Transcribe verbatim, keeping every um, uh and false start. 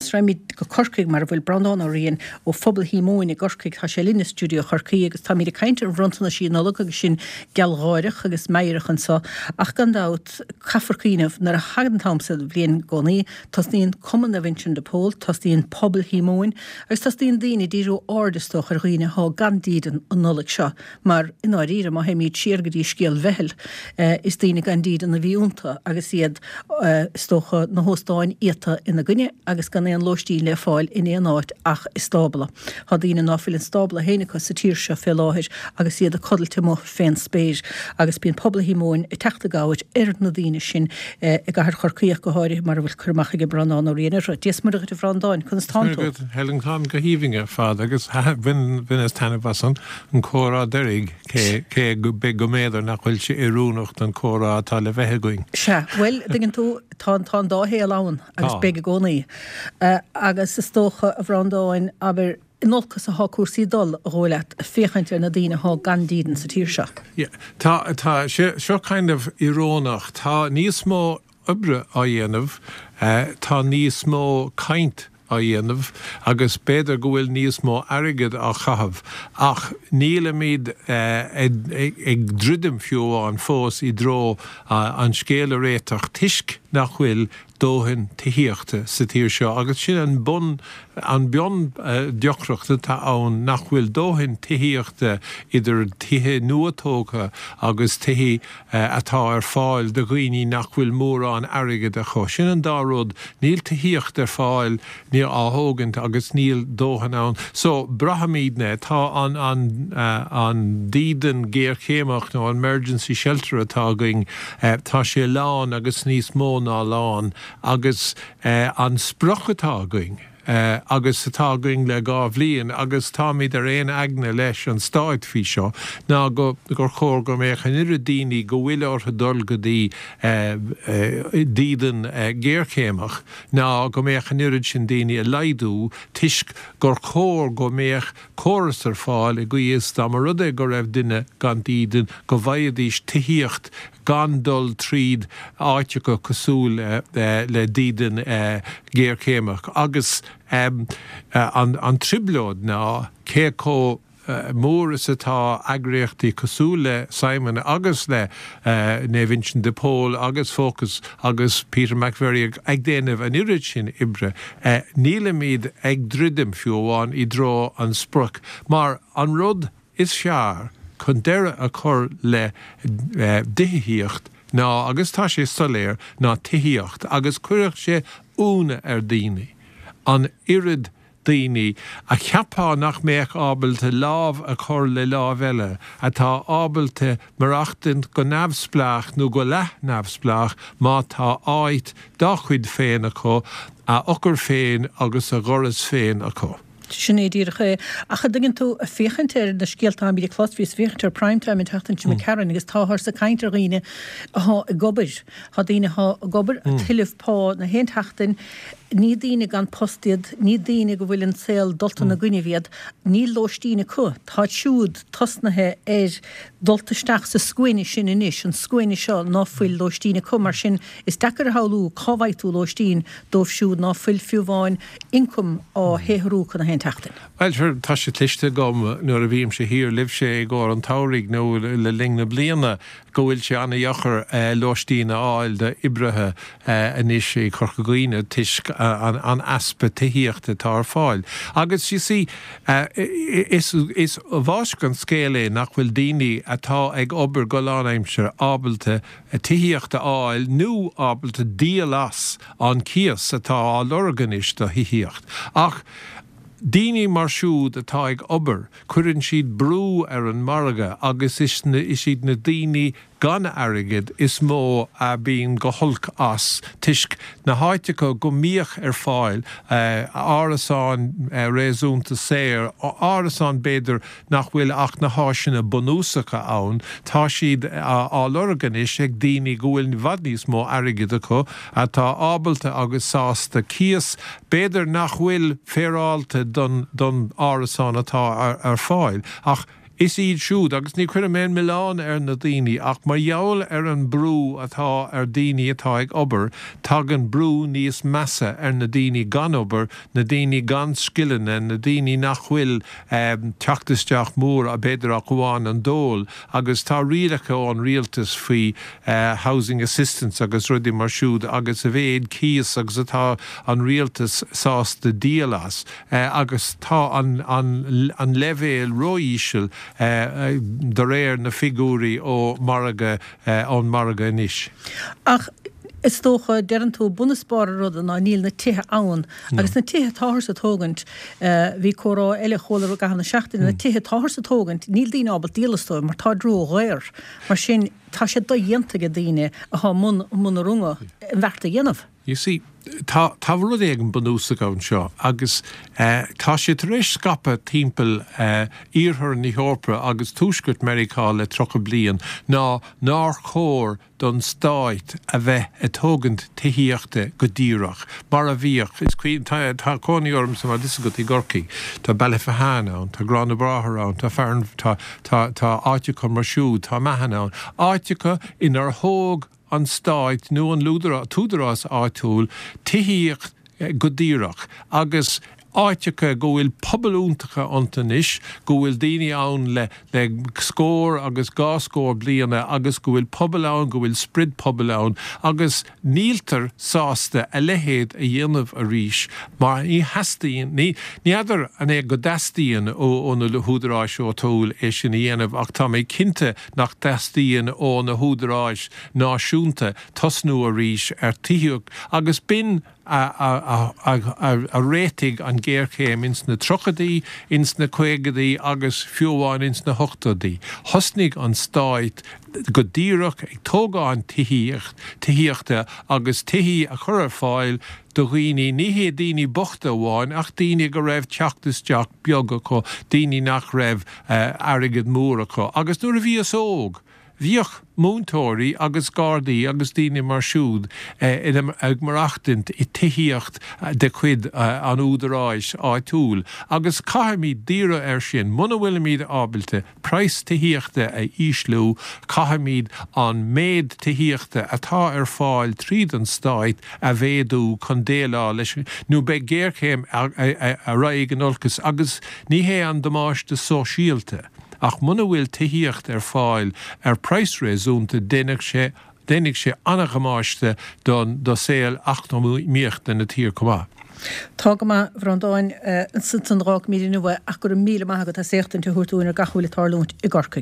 Agus raghaimid go Corcaigh mar a bhfuil Breandán Ó Riain ó Phobal Shíomóin i gCorcaigh. Tá sé linn i stiúideo Chorcaí agus táimid ag caint ar bhronntanais Nollag agus sinn gealgháireach agus meidhreach anseo ach gan dabht caithfear cuimhneamh nuair a thagann an t-am sa bhliain i gcónaí, tosnaíonn Cumann Naomh Uinseann de Pól, tosnaíonn Pobal Shíomóin agus tosnaíonn daoine ag díriú aird is dócha ar dhaoine atá gan dídean an Nollaig seo mar i ndáiríre má théimid siar go dtí scéal Bheithil is daoine gan dídean a bhí iontu agus iad is dócha na hóstáin iata ina gcoinne agus gan aon lóistín le fáil in aon áit ach i stábla. Tá daoine ná fuil an stábla féin acu sa tír seo fé láthair agus iad ag codlait amuigh fén spéir agus bíonn Pobal Shíomóin ag teacht i gcabhair ar na daoine sin i gcathair Chorcaí ach go háirithe mar a bhfuil cur amach ag Breandán Ó Riain orthu. Dia is Muire dhuit a Bhreandáin, conas tánn tú? Helen táim go haoibhinn ar fad agus bhaineas taitneamh as an comhrá deiridh cé cé go mb'fhéidir nach bhfuil sé oiriúnach don chomhrá atá le bheith againn. Sea, bhuel, tuigeann tú, tá tá an dá shaol ann agus beidh i gcónaí. Agus is dócha, a Bhreandáin, abair, in olcas atá cúrsaí ag dul, a dhóigh leat, féachaint ar na daoine atá gan dídean sa tír seo. Yeah, tá, tá, seo kind of íorónach, tá níos mó oibre á dhéanamh, tá níos mó caint á dhéanamh agus b'fhéidir go bhfuil níos mó airgead á chaitheamh ach nílimid ag druidim fiú amháin fós i dtreo an scéal a réiteach toisc nach bhfuil dóthain tithíochta sa tír seo agus sin an bun an bun deacracht atá ann nach bhfuil dóthain tithíochta idir tithe nua-tógtha agus tithe atá ar fáil do dhaoine nach bhfuil mórán airgid acu. Sin an dá rud, níl tithíocht ar fáil, níl á thógaint agus níl dóthain ann. So braithimidne, tá an an an dídean géarchéimeach nó an emergency shelter atá againn, tá sé lán agus níos mó ná lán agus an sprioc atá againn agus atá againn le dhá bhliain agus táimid ar aon aigne leis an stát faoi seo ná go gur chóir go mbeadh an oiread daoine go bhfuil orthu dul go dtí dídean géarchéimeach ná go mbeadh an oiread sin daoine a laghdú toisc gur chóir go mbeadh córas ar fáil i gcaoi is dá mba rud é go raibh duine gan dídean go bhfaighidís tithíocht gan dul tríd áiteacha cosúil le dídean géarchéimeach agus an trioblóid ná cé chomh mór is atá eagraíochtaí cosúil le Simon agus le Naomh Uinseann de Pól agus Focus agus Peter McVerry ag déanamh an oiread sin oibre. Nílimid ag druidim fiú amháin i dtreo an sprioc mar an rud is fearr chun deireadh a chur le díthíocht ná agus tá sé soiléir ná tithíocht agus cuirfeadh sé ionadh ar daoine an oiread daoine a cheapfá nach mbeadh ábalta lámh a chur le lámh eile atá ábalta maireachtaint go neamhspleách nó go leath-neamhspleách má tá áit dá chuid féin acu, a eochair féin agus a dhoras féin acu. Sin é díreach é. Ach an dtuigeann tú, ag féachaint ar na scéalta atáimid ag clos, bhíos ag féachaint ar Prime Time an tseachtain seo imigh tharainn agus táthar ag caint ar dhaoine athá ag obair. Tá daoine athá ag obair, ag tuilleamh pá na haon tseachtain, ní daoine gan post iad, ní daoine go bhfuil an saol dulta ina gcoinnibh iad, níl lóistín acu. Táid siúd tosnaithe ar dult isteach sa scuaine sin anois, an scuaine seo ná fuil lóistín acu. Mar sin, is deacair a shamhlú cá bhfaighidh tú lóistín dóibh siúd ná fuil fiú amháin ioncam á shaothrú acu na haon tseachtain. Bhuel, sure, tá sé cloiste agam nuair a bhímse thiar libhse i gcomhair an tsamhraidh nó le linn na bliana go bhfuil sé an-dheacair lóistín a fháil d'oibrithe anois i Corca Dhuibhne toisc an easpa tithíochta atá ar fáil. Agus, you see, is is báisteach an scéal é nach bhfuil daoine atá ag obair go lánaimseartha ábalta tithíocht a fháil nó ábalta díol as an cíos atá á lorg anois do thithíocht. Ach daoine mar siúd atá ag obair, cuireann siad brú ar an margadh agus is iad na daoine gan airgead is mó a bíonn go holc as toisc na háiteacha go mbíodh ar fáil árasáin réasúnta saor, árasáin b'fhéidir nach bhfuil ach na háiseanna bunúsacha ann, tá siad á lorg anois ag daoine go bhfuil i bhfad níos mó airgid acu, atá ábalta agus sásta cíos b'fhéidir nach bhfuil féaráilte don don árasán atá ar fáil ach Is iad siúd, agus ní chuirim aon milleán ar na daoine, ach mar gheall ar an brú atá ar daoine atá ag obair, tagann brú níos measa ar na daoine gan obair, na daoine gan scileanna, na daoine nach bhfuil teacht isteach mór, b'fhéidir ach amháin an dól, agus tá rialacha ón rialtas faoi housing assistance agus rudaí mar siúd agus a mhéad cíos agus atá an rialtas sásta díol as, agus tá an an leibhéal ró-íseal de réir na figiúirí ó margadh ón margadh anois. Ach is dócha, deireann tú, bun is barr an ruda ná níl na tithe ann. Agus na tithe atáthar ag tógaint, bhí comhrá eile a chuala i gcaitheamh na seachtaine, na tithe atáthar ag tógaint, níl daoine ábalta díol astu mar táid ródhaor. Mar sin, tá sé dodhéanta ag daoine atá i mbun mbun na runga an bheart a dhéanamh. You see, tá tá rud éigin bunúsach anseo agus tá sé tar éis scaipeadh timpeall iarthar na hEorpa agus tuaisceart Meiriceá le tríocha bliain ná nár chóir don stáit a bheith ag tógaint tithíochta go díreach, mar a bhíodh. Is cuimhin, tá tá cónaí ormsa mar is agat i gCorcaigh, tá Ballyphehane ann, tá Gráinne Bráthar ann, tá Fearann, tá tá tá áiteacha mar siúd, tá Meathan ann, áiteacha inar thóg an stáit nó an t-údarás áitiúil tithíocht go díreach agus áiteacha go bhfuil pobail iontacha iontu anois, go bhfuil daoine ann le le scór agus dhá scór bliana agus go bhfuil pobal ann, go bhfuil sprid pobail ann agus níltear sásta a leithéid a dhéanamh arís mar ní theastaíonn, ní ní fheadar an é go dteastaíonn ó ó na húdaráis áitiúil é sin a dhéanamh ach tá mé cinnte nach dteastaíonn ó na húdaráis náisiúnta tosnú arís ar tithíocht agus b'in a réitigh an ghéarchéim ins na tríochaidí, ins na caogaidí agus fiú amháin ins na hochtóidí. Thosnaigh an stáit go díreach ag tógáint tithíocht, tithíochta agus tithí a chur ar fáil do dhaoine, ní hé daoine bochta amháin ach daoine go raibh teacht isteach beag acu, daoine nach raibh airgead mór acu. Agus nuair a bhíos óg, bhíodh múinteoirí agus gardaí agus daoine mar siúd ag maireachtaint i tithíocht de chuid an údaráis áitiúil agus caithfimid díriú air sin. Muna bhfuilimid ábalta praghas tithíochta a ísliú, caithfimid an méid tithíochta atá ar fáil tríd an stáit a mhéadú chun déileáil leis nó beidh géarchéim a raghaidh in olcas agus ní hé an damáiste sóisialta Ach muna bhfuil tithíocht ar fáil ar praghas réasúnta déanfaidh sé déanfaidh sé an-dhamáiste don do saol eacnamaíochta na tíre chomh maith. Tá go maith, a Bhreandáin, ansan d'fhágfaimid inniu é ach go raibh míle maith agat as éachtaint a thabhairt dúinn ar gach a bhfuil ag tarlúint i gCorcaigh.